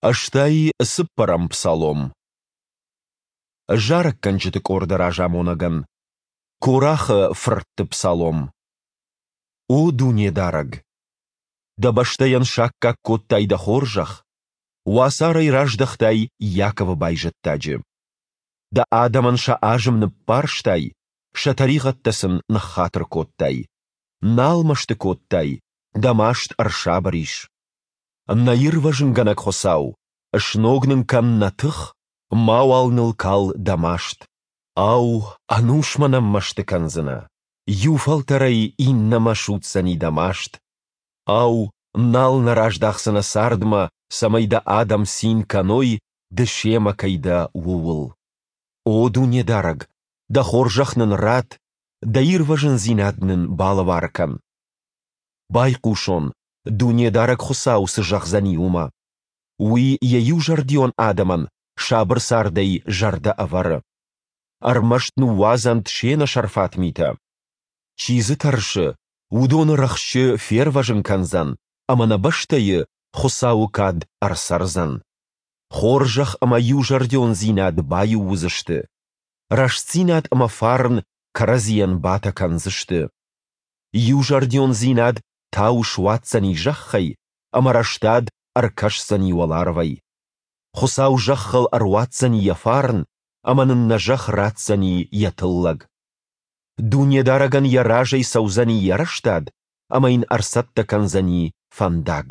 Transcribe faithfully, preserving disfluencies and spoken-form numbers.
Ӕстай цыппӕрӕм псалом. Зарӕггӕнджыты къорды разамонӕгӕн. Корахы фыртты псалом. О Дунедарӕг! Дӕ бӕстӕйӕн саккаг кодтай Дӕ хорзӕх, уацарӕй раздӕхтай Иаковы байзӕддаджы. Дӕ адӕмӕн сӕ азым ныббарстай, сӕ тӕригъӕдтӕ сын ныххатыр кодтай. Нал мӕсты кодтай, Дӕ маст ӕрсабыр ис. Нӕ ирвӕзынгӕнӕг Хуыцау, сног нын кӕн нӕ тых, мауал ныл кал Дӕ маст. Ау, ӕнусмӕ нӕм мӕсты кӕндзынӕ? Иу фӕлтӕрӕй иннӕмӕ судздзӕни Дӕ маст? Ау, нал нӕ раздахдзынӕ цардмӕ, цӕмӕй Дӕ адӕм цин кӕной, Ды семӕ кӕй дӕ, ууыл? О Дунедарӕг, Дӕ хорзӕх нын ратт, Дӕ ирвӕзындзинад нын балӕвар кӕн. Байхъусон, Дунедарӕг Хуыцау цы зӕгъдзӕни, уымӕ. Уый Йӕ иузӕрдион адӕмӕн сабыр цардӕй зӕрдӕ ӕвӕры. Ӕрмӕст ныууадзӕнт се нӕсӕрфат митӕ. Чи дзы тӕрсы, уыдоны рӕхджы фервӕзын кӕндзӕн, ӕмӕ нӕ бӕстӕйы Хуыцауы кад ӕрцӕрдзӕн. Хорзӕх ӕмӕ иузӕрдиондзинад баиу уыдзысты. Рӕстдзинад ӕмӕ фарн кӕрӕдзийӕн батӕ кӕндзысты. Иузӕрдиондзинад тау суадздзӕни зӕххӕй, ӕмӕ рӕстад ӕркӕсдзӕни уӕларвӕй. Хуыцау зӕххыл ӕруадздзӕни йӕ фарн, ӕмӕ нын нӕ зӕхх ратдзӕни йӕ тыллӕг. Дунедарӕгӕн йӕ разӕй цӕудзӕни йӕ рӕстад ӕмӕ йын ӕрцӕттӕ кӕндзӕни фӕндаг.